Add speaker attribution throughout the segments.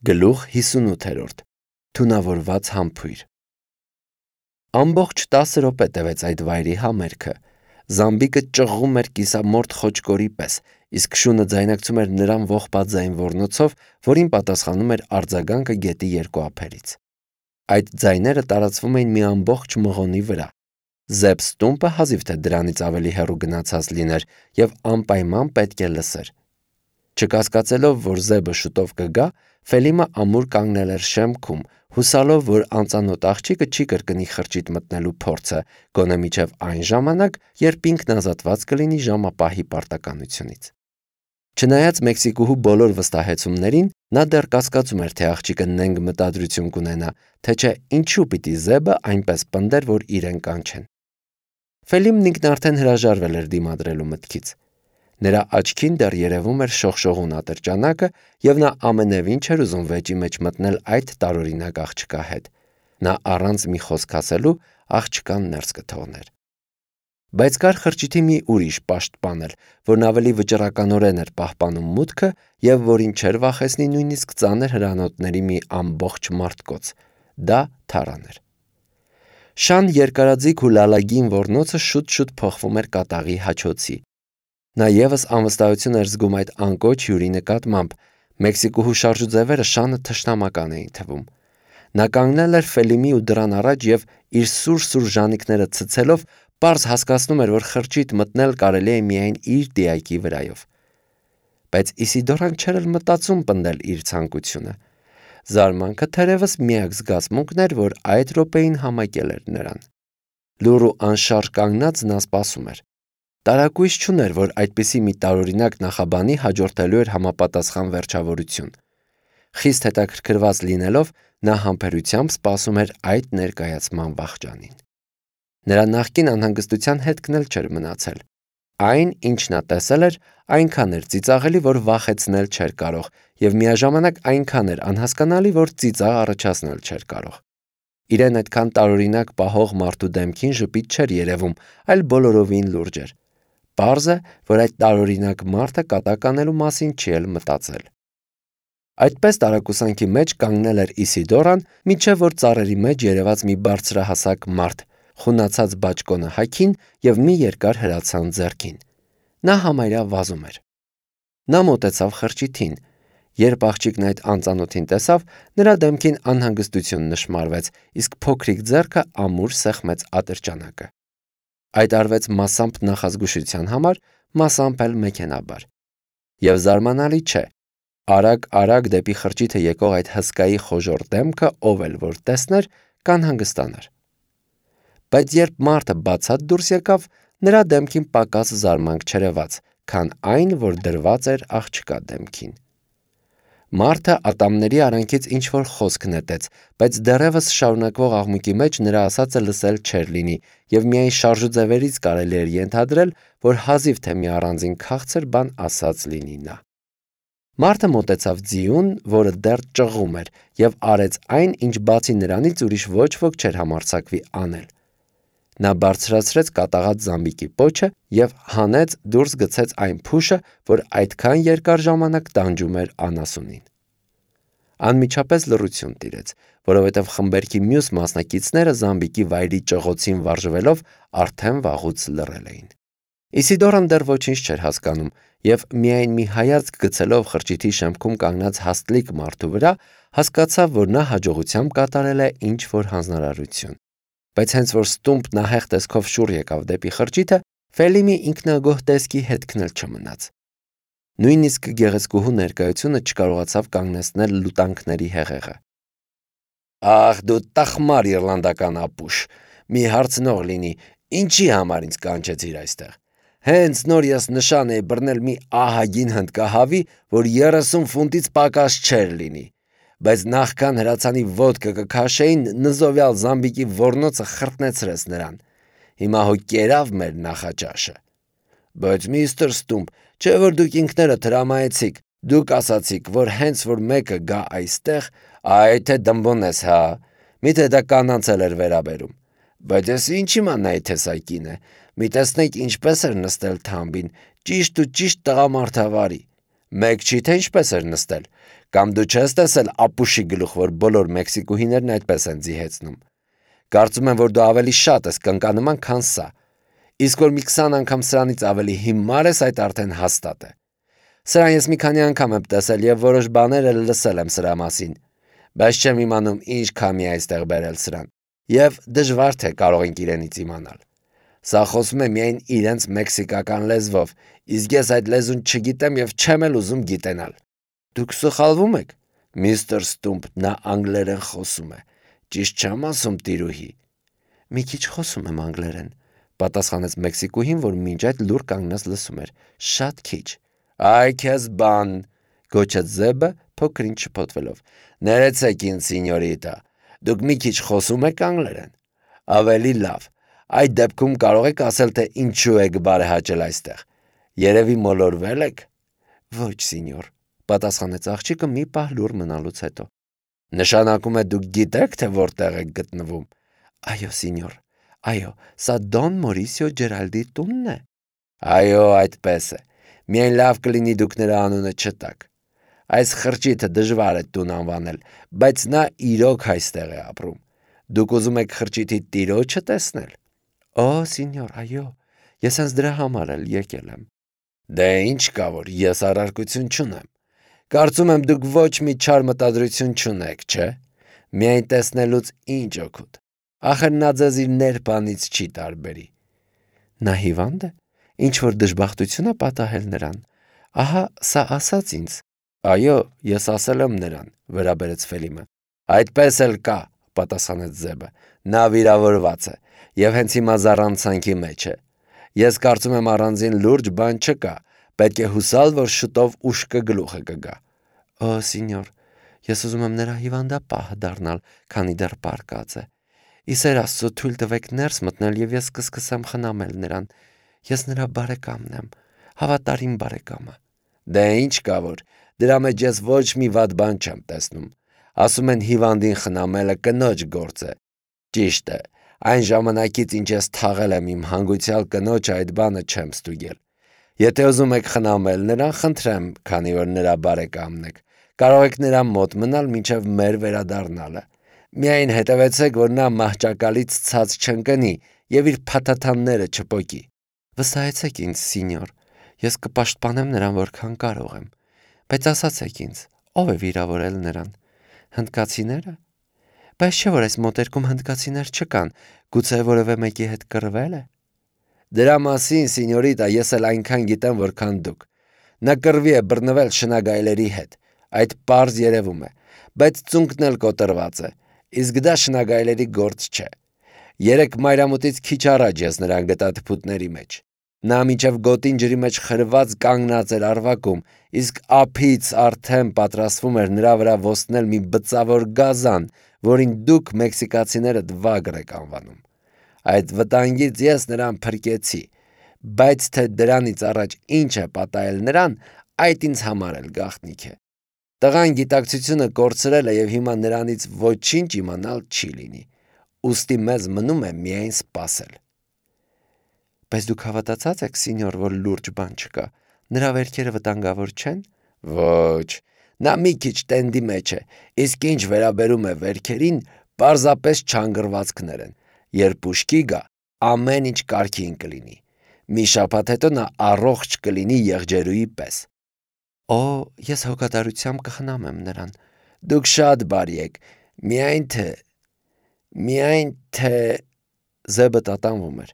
Speaker 1: Գլուխ 58 Թունավորված համբույր Ամբողջ 10 րոպե տևեց այդ վայրի համերգը։ Զամբիկը ճղղում էր կիսամորթ խոճկորի պես, իսկ շունը ձայնարկում էր նրան ողբաձայն ոռնոցով, որին պատասխանում էր արձագանքը գետի երկու ափերից։ Այդ ձայները տարածվում էին մի ամբողջ մղոնի վրա։ Զեբս տումպը հազիվ թե դրանից ավելի հեռու գնացած լիներ և անպայման պետք է լսեր։ Չկասկածելով, որ Զեբը շուտով կգա, Ֆելիմը ամուր կանգնել էր շեմքում, հուսալով, որ անծանոթ աղջիկը չի կրկնի խրճիթ մտնելու փորձը, գոնե մինչև այն ժամանակ, երբ ինքն ազատված կլինի ժամապահի պարտականությունից։ Չնայած Մեքսիկուհու բոլոր վստահեցումներին, նա դեռ կասկածում էր, թե աղջիկը նենգ մտադրություն կունենա, թե չէ ինչու պիտի Զեբը այնպես պնդեր, որ իրեն կանչեն։ Ֆելիմն ինքն արդեն հրաժարվել էր դիմադրելու մտքից։ Նրա աչքին դեռ երևում էր շողշողուն ատրճանակը, և նա ամենևին չէր ուզում վեճի մեջ մտնել այդ տարօրինակ աղջկա հետ։ Նա առանց մի խոսք ասելու աղջկան ներս կթողներ։ Բայց կար խրճիթի մի ուրիշ պաշտպան էլ, որն ավելի վճռականորեն էր պահպանում մուտքը և որին չէր վախեցնի նույնիսկ ծանր հրանոթների մի ամբողջ մարդկոց։ Դա Թարան էր։ Շան երկարաձիգ ու լալագին ոռնոցը շուտ-շուտ փոխվում էր կատաղի հաչոցի։ Նա ևս անվստահություն էր զգում այդ անկոչ հյուրի նկատմամբ։ Մեքսիկուհու շարժուձևերը Շանը թշնամական էին թվում։ Նա կանգնել էր Ֆելիմի ու դռան առաջ և իր սուր-սուր ժանիքները ցցելով պարզ հասկացնում էր, որ խրճիթ մտնել կարելի է միայն իր դիակի վրայով։ Բայց Իսիդորան չէր էլ մտածում պնդել իր ցանկությունը։ Զարմանքը թերևս միակ զգացմունքն էր, որ այդ րոպեին համակել էր նրան։ Լուռ ու անշարժ կանգնած նա սպասում էր։ Տարակույս չուներ, որ այդպիսի մի տարօրինակ նախաբանի հաջորդելու էր համապատասխան վերջավորություն։ Խիստ հետաքրքրված լինելով, նա համբերությամբ սպասում էր այդ ներկայացման վախճանին։ Նրա նախկին անհանգստության հետքն էլ չէր մնացել։ Այն, ինչ նա տեսել էր, այնքան էր ծիծաղելի, որ վախեցնել չէր կարող, և միաժամանակ այնքան էր անհասկանալի, որ ծիծաղ առաջացնել չէր կարող։ Իրեն այդքան տարօրինակ պահող մարդու դեմքին ժպիտ չէր երևում, այլ բոլորովին լուրջ էր։ Պարզ է, որ այդ տարօրինակ մարդը կատակ անելու մասին չի էլ մտածել։ Այդպես տարակուսանքի մեջ կանգնել էր Իսիդորան, մինչև որ ծառերի մեջ երևաց մի բարձրահասակ մարդ, խունացած բաճկոնը հագին և մի երկար հրացան ձեռքին։ Նա համարյա վազում էր։ Նա մոտեցավ խրճիթին։ Երբ աղջիկն այդ անծանոթին տեսավ, նրա դեմքին անհանգստություն նշմարվեց, իսկ փոքրիկ ձեռքը ամուր սեղմեց ատրճանակը։ Այդ արվեց մասամբ նախազգուշության համար, մասամբ էլ մեքենաբար։ Եվ զարմանալի չէ, արագ-արագ դեպի խրճիթը եկող այդ հսկայի խոժոռ դեմքը ով էլ որ տեսներ, կանհանգստանար։ Բայց երբ մարդը բացատ դուրս եկավ, նրա դեմքին պակաս զարմանք չերևաց, քան այն, որ դրված էր աղջկա դեմքին։ Մարդը ատամների արանքից ինչ-որ խոսք նետեց, բայց դեռևս շարունակվող աղմուկի մեջ նրա ասածը լսել չէր լինի, և միայն շարժուձևերից կարելի էր ենթադրել, որ հազիվ թե մի առանձին քաղցր բան ասած լինի նա։ Մարդը մոտեցավ ձիուն, որը դեռ ճղում էր, և արեց այն, ինչ բացի նրանից ուրիշ ոչ ոք չէր համարձակվի անել։ Նա բարձրացրեց կատաղած զամբիկի պոչը և հանեց դուրս գցեց այն փուշը, որ այդքան երկար ժամանակ տանջում էր անասունին։ Անմիջապես լռություն տիրեց, որովհետև խմբերքի մյուս մասնակիցները զամբիկի վայրի ճղոցին վարժվելով արդեն վաղուց լռել էին։ Իսիդորան դեռ ոչինչ չէր հասկանում և միայն մի հայացք գցելով խրճիթի շեմքում կանգնած հաստլիկ մարդու վրա, հասկացավ, որ նա հաջողությամբ կատարել է ինչ-որ հանձնարարություն։ Բայց հենց որ ստումպ նահեղ տեսքով շուռ եկավ դեպի խրճիթը, Ֆելիմի ինքնագոհ տեսքի հետքն էլ չմնաց։ Նույնիսկ գեղեցկուհու ներկայությունը չկարողացավ կանգնեցնել լուտանքների հեղեղը։ «Ախ, դու տխմար իռլանդական ապուշ, մի հարցնող լինի, ինչի համար ինձ կանչեցիր այստեղ։ Հենց նոր ես նշան էի բռնել մի ահագին հնդկահավի, որ 30 ֆունտից պակաս չէր լինի, բայց նախքան հրացանի ոդկը կքաշեին, նզովյալ զամբիկի ոռնոցը խրտնեցրեց նրան։ Հիմա հո կերավ մեր նախաճաշը։ Բայց միստր Ստումպ, չէ որ դուք ինքներդ հրամայեցիք, դուք ասացիք, որ հենց որ մեկը գա այստեղ, այ թե դմբոնես, հա, միթե դա կանանց էր վերաբերում։ Բայց ես ինչ իմանայի, թե սա կին է, մի տեսնեք ինչպես էր նստել թամբին, ճիշտ ու ճիշտ տղամարդավարի։ Մեկ չի, թե ինչպես էր նստել, Կամ դու չես տեսել ապուշի գլուխ, որ բոլոր մեքսիկուհիներն այդպես են ձիհեցնում։ Կարծում եմ, որ դու ավելի շատ ես կնկանման, քան սա։ Իսկ որ մի 20 անգամ սրանից ավելի հիմար ես, այդ արդեն հաստատ է։ Սրան ես մի քանի անգամ եմ տեսել եւ որոշ բաներ էլ լսել եմ սրա մասին, բայց չեմ իմանում ինչ քամի է այստեղ բերել սրան։ Եվ դժվար թե կարող ենք իրենից իմանալ։ Սա խոսում է միայն իրենց մեքսիկական լեզվով, իսկ ես այդ լեզուն չգիտեմ եւ չեմ էլ ուզում գիտենալ։ Դուք սխալվում եք, միստր Ստումպ, նա անգլերեն խոսում է։ Ճիշտ չեմ ասում, տիրուհի։ Մի քիչ խոսում եմ անգլերեն, պատասխանեց մեքսիկուհին, որ մինչ այդ լուր կանգնած լսում էր։ Շատ քիչ։ Այ քեզ բան, գոչեց Զեբը փոքրինչ շփոթվելով։ Ներեցեք ինձ, սինյորիտա, դուք մի քիչ խոսում եք անգլերեն։ Ավելի լավ։ Այդ դեպքում կարող եք ասել, թե ինչու եք բարեհաճել այստեղ։ Երևի մոլորվել եք։ Ոչ, սինյոր, պատասխանեց աղջիկը մի պահ լուր մնալուց հետո։ Նշանակում է դուք գիտեք, թե որտեղ եք գտնվում։ Այո, սինյոր։ Այո, սա Դոն Մորիսիո Ջերալդի տունն է։ Այո, այդպես է։ Միայն լավ կլինի դուք նրա անունը չտաք։ Այս խրճիթը դժվար է տուն անվանել, բայց նա իրոք այստեղ է ապրում։ Դուք ուզում եք խրճիթի տիրոջը տեսնել։ Օ, սինյոր, այո, ես հենց դրա համար էլ եկել եմ։ Դե ինչ կա, որ ես առարկություն չունեմ։ Կարծում եմ դուք ոչ մի չար մտադրություն չունեք, չէ՞։ Միայն տեսնելուց ինչ օգուտ։ Ախր նա ձեզ իր ներբանից չի տարբերի։ Նա հիվանդ է։ Ինչ որ դժբախտություն է պատահել նրան։ Ահա սա ասաց ինձ։ Այո, ես ասել եմ նրան, վերաբերեց Ֆելիմը։ Այդպես էլ կա, պատասխանեց Զեբը։ Նա վիրավորված է եւ հենց հիմա զառանցանքի մեջ է։ Ես կարծում եմ առանձին լուրջ բան չկա, պետք է հուսալ, որ շուտով ուշքը գլուխը կգա։ Օ, սինյոր, ես ուզում եմ նրա հիվանդապահը դառնալ, քանի դեռ պարկած է։ Իսեր Աստծո, թույլ տվեք ներս մտնել եւ ես կսկսեմ խնամել նրան։ Ես նրա բարեկամն եմ, հավատարիմ բարեկամը։ Դե ինչ կա որ, դրա մեջ ես ոչ մի վատ բան չեմ տեսնում։ Ասում են հիվանդին խնամելը կնոջ գործ է։ Ճիշտ է, այն ժամանակից ինչ ես թաղել եմ իմ հանգուցյալ կնոջը, այդ բանը չեմ ստուգել։ Եթե ուզում եք խնամել նրան, խնդրեմ, քանի որ նրա բարեկամն եք, կարող եք նրա մոտ մնալ մինչև մեր վերադառնալը։ Միայն հետևեցեք, որ նա մահճակալից ցած չընկնի եւ իր փաթաթանները չպոկի։ Վստահեցեք ինձ, սինյոր, ես կպաշտպանեմ նրան որքան կարող եմ։ Բայց ասացեք ինձ, ով է վիրավորել նրան։ Հնդկացիները։ Բայց չէ՞ որ այս մոտերքում հնդկացիներ չկան, գուցե որևէ մեկի հետ կռվել է։ Դրա մասին, սինյորիտա, ես էլ այնքան գիտեմ, որքան դուք։ Նա կռվի է բռնվել շնագայլերի հետ։ Այդ պարզ երևում է, բայց ծունկն էլ կոտրված է։ Իսկ դա շնագայլերի գործ չէ։ Երեք մայրամուտից քիչ առաջ ես նրան գտա թփուտների մեջ։ Նա մինչև գոտին ջրի մեջ խրված կանգնած էր առվակում, իսկ ափից արդեն պատրաստվում էր նրա վրա ոսնել մի բծավոր գազան, որին դուք մեքսիկացիները դվագր եք անվանում։ Այդ վտանգից ես նրան փրկեցի, բայց թե դրանից առաջ ինչ է պատահել նրան, այդ ինձ համար էլ գաղտնիք է։ Տղան գիտակցությունը կորցրել է եւ հիմա նրանից ոչինչ իմանալ չի լինի։ Ուստի մեզ մնում է միայն սպասել։ Բայց դուք հավատացած եք, սինյոր, որ լուրջ բան չկա։ Նրա վերքերը վտանգավոր չեն։ Ոչ, նա մի քիչ տենդի մեջ է, իսկ ինչ վերաբերում է վերքերին, պարզապես չանգրվածքներ են։ Երբ ուշքի գա, ամեն ինչ կարգին կլինի։ Մի շաբաթ հետո նա առողջ կլինի եղջերուի պես։ Օ, ես հոգատարությամբ կխնամեմ նրան։ Դուք շատ բարի եք, միայն թե Զեբը տատանվում էր։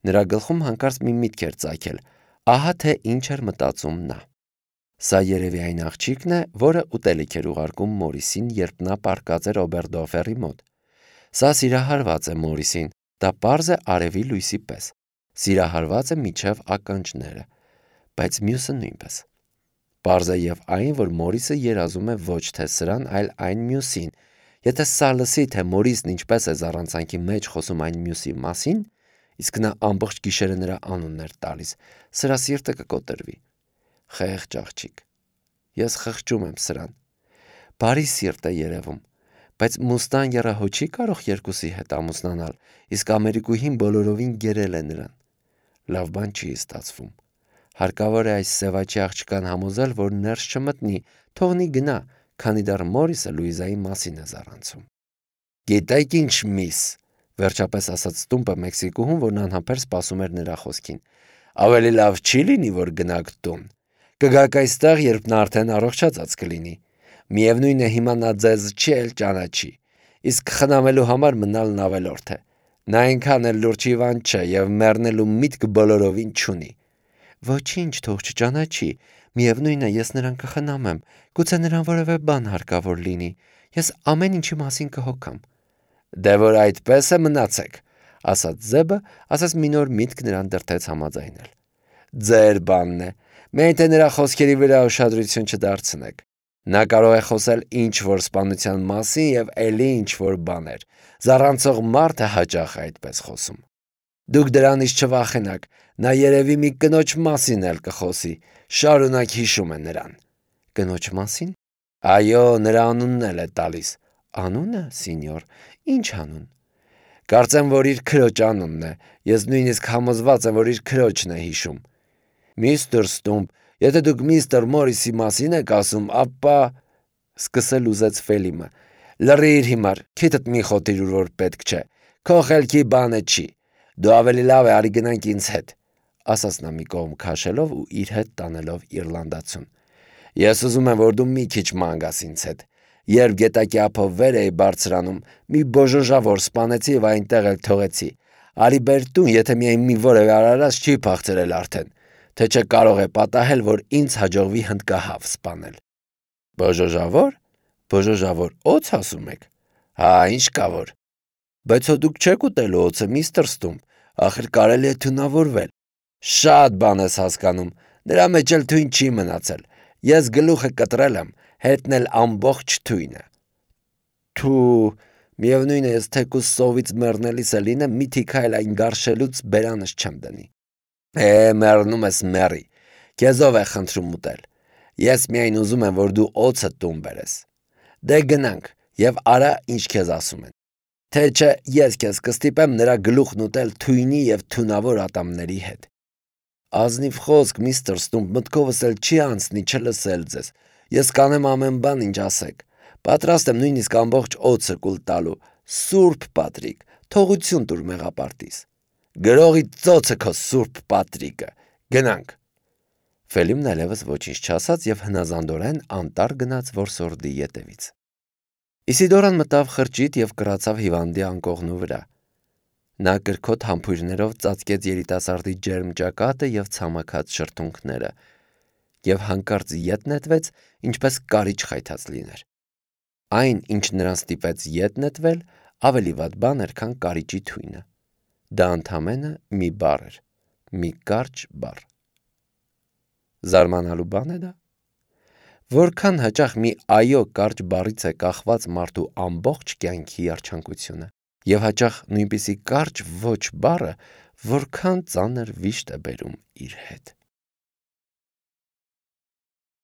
Speaker 1: Նրա գլխում հանկարծ մի միտք էր ծագել։ Ահա թե ինչ էր մտածում նա։ Սա երևի այն աղջիկն է, որը ուտելիք էր ուղարկում Մորիսին, երբ նա պառկած էր Օբերդորֆերի մոտ։ Սա սիրահարված է Մորիսին, դա պարզ է արևի լույսի պես։ Սիրահարված է միջև ականջները, բայց մյուսը նույնպես։ Պարզ է եւ այն, որ Մորիսը երազում է ոչ թե սրան, այլ այն մյուսին։ Եթե սա լսի, թե Մորիսն ինչպես է զառանցանքի մեջ խոսում այն մյուսի մասին, իսկ նա ամբողջ գիշերը նրա անունն էր տալիս, սրա սիրտը կկոտրվի։ Խեղճ աղջիկ։ Ես խղճում եմ սրան։ Բարի սիրտ է երևում, բայց Մուստան եռահո չի կարող երկուսի հետ ամուսնանալ, իսկ Ամերիկուհին բոլորովին գերել է նրան։ Լավ բան չի ստացվում։ Հարկավոր է այս սևաճի աղջկան համոզել, որ ներս չմտնի, թողնի գնա, քանի դեռ Մորիսը Լուիզայի մասին է զառանցում։ «Գիտեք ինչ, միս», վերջապես ասաց տումպը մեքսիկուհուն, որն անհամբեր սպասում էր նրա խոսքին։ «Ավելի լավ չի լինի, որ գնաք տուն։ Կգաք այստեղ, երբ նա արդեն առողջացած կլինի։ Միևնույն է, հիմա նա ձեզ չի էլ ճանաչի, իսկ խնամելու համար մնալն ավելորդ է։ Նա այնքան էլ լուրջ հիվանդ չէ եւ մեռնելու միտք բոլորովին չունի»։ «Ոչինչ, թող չճանաչի։ Միևնույն է, ես նրան կխնամեմ։ Գուցե նրան որևէ բան հարկավոր լինի։ Ես ամեն ինչի մասին կհոգամ»։ «Դե որ այդպես է, մնացեք», ասաց Զեբը, ասես մի նոր միտք նրան դրդեց համաձայնել։ «Ձեր բանն է։ Միայն թե նրա խոսքերի վրա ուշադրություն չդարձնեք։ Նա կարող է խոսել ինչ-որ սպանության մասին եւ էլի ինչ-որ բաներ։ Զառանցող մարդը հաճախ է այդպես խոսում։ Դուք դրանից չվախենաք, նա երևի մի կնոջ մասին էլ կխոսի, շարունակ հիշում է նրան»։ «Կնոջ մասին»։ «Այո, նրա անունն էլ է տալիս»։ «Անունը, սինյոր, ինչ անուն»։ «Կարծեմ, որ իր քրոջ անունն է, ես նույնիսկ համոզված եմ, որ իր քրոջն է հիշում»։ «Միստր Ստումպ, եթե դուք միստր Մորիսի մասին եք ասում, ապա…» սկսել ուզեց Ֆելիմը։ «Լռիր հիմար, քիթդ մի խոթիր, ուր որ պետք չէ, քո խելքի բանը չի, դու ավելի լավ է արի գնանք ինձ հետ», ասաց նա մի կողմ քաշելով ու իր հետ տանելով իռլանդացուն։ «Ես ուզում եմ, որ դու մի քիչ ման գաս ինձ հետ։ Երբ գետակի ափով վեր էի բարձրանում, մի բոժոժավոր սպանեցի եւ այնտեղ էլ թողեցի։ Արի բեր տուն, եթե միայն մի որևէ արարած չի փախցրել արդեն, թե չէ կարող է պատահել, որ ինձ հաջողվի հնդկահավ սպանել»։ «Բոժոժավոր։ Բոժոժավոր օձ ասում եք։ Հա, ինչ կա որ։ Բայց հո դուք չեք ուտելու օձը, միստր Ստումպ, ախր կարելի է թունավորվել։ Շատ բան ես հասկանում, նրա մեջ էլ թույն չի մնացել։ Ես գլուխը կտրել եմ, հետն էլ ամբողջ թույնը»։ «Թու, միևնույն է, ես թեկուզ սովից մեռնելիս է լինեմ, մի թիքայլ այն գարշելուց բերանս չեմ դնի»։ Մեռնում ես մեռի, քեզով է խնդրում ուտել։ Ես միայն ուզում եմ, որ դու օձը տուն բերես։ Դե գնանք եւ արա, ինչ քեզ ասում են։ Թե չէ ես քեզ կստիպեմ նրա գլուխն ուտել թույնի եւ թունավոր ատամների հետ։ «Ազնիվ խոսք, միստր Ստումպ, մտքովս էլ չի անցնի չլսել ձեզ։ Ես կանեմ ամեն բան, ինչ ասեք։ Պատրաստ եմ նույնիսկ ամբողջ օձը կուլ տալու։ Սուրբ Պատրիկ, թողություն տուր մեղապարտիս։ Գրողի ծոցը քո Սուրբ Պատրիկը։ Գնանք»։ Ֆելիմն այլևս ոչինչ չասաց եւ հնազանդորեն անտառ գնաց որսորդի ետևից։ Իսիդորան մտավ խրճիթ եւ կռացավ հիվանդի անկողնու վրա։ Նա կրքոտ համբույրներով ծածկեց երիտասարդի ջերմ ճակատը եւ ցամաքած շրթունքները եւ հանկարծ ետ նետվեց, ինչպես կարիճ խայթած լիներ։ Այն, ինչ նրան ստիպեց ետ նետվել, ավելի վատ բան էր, քան կարիճի թույնը։ Դա ընդամենը մի բառ էր, մի կարճ բառ։ Զարմանալու բան է դա։ Որքան հաճախ մի այո կարճ բառից է կախված մարդու ամբողջ կյանքի երջանկությունը, եւ հաճախ նույնպիսի կարճ ոչ բառը որքան ծանր վիշտ է բերում իր հետ։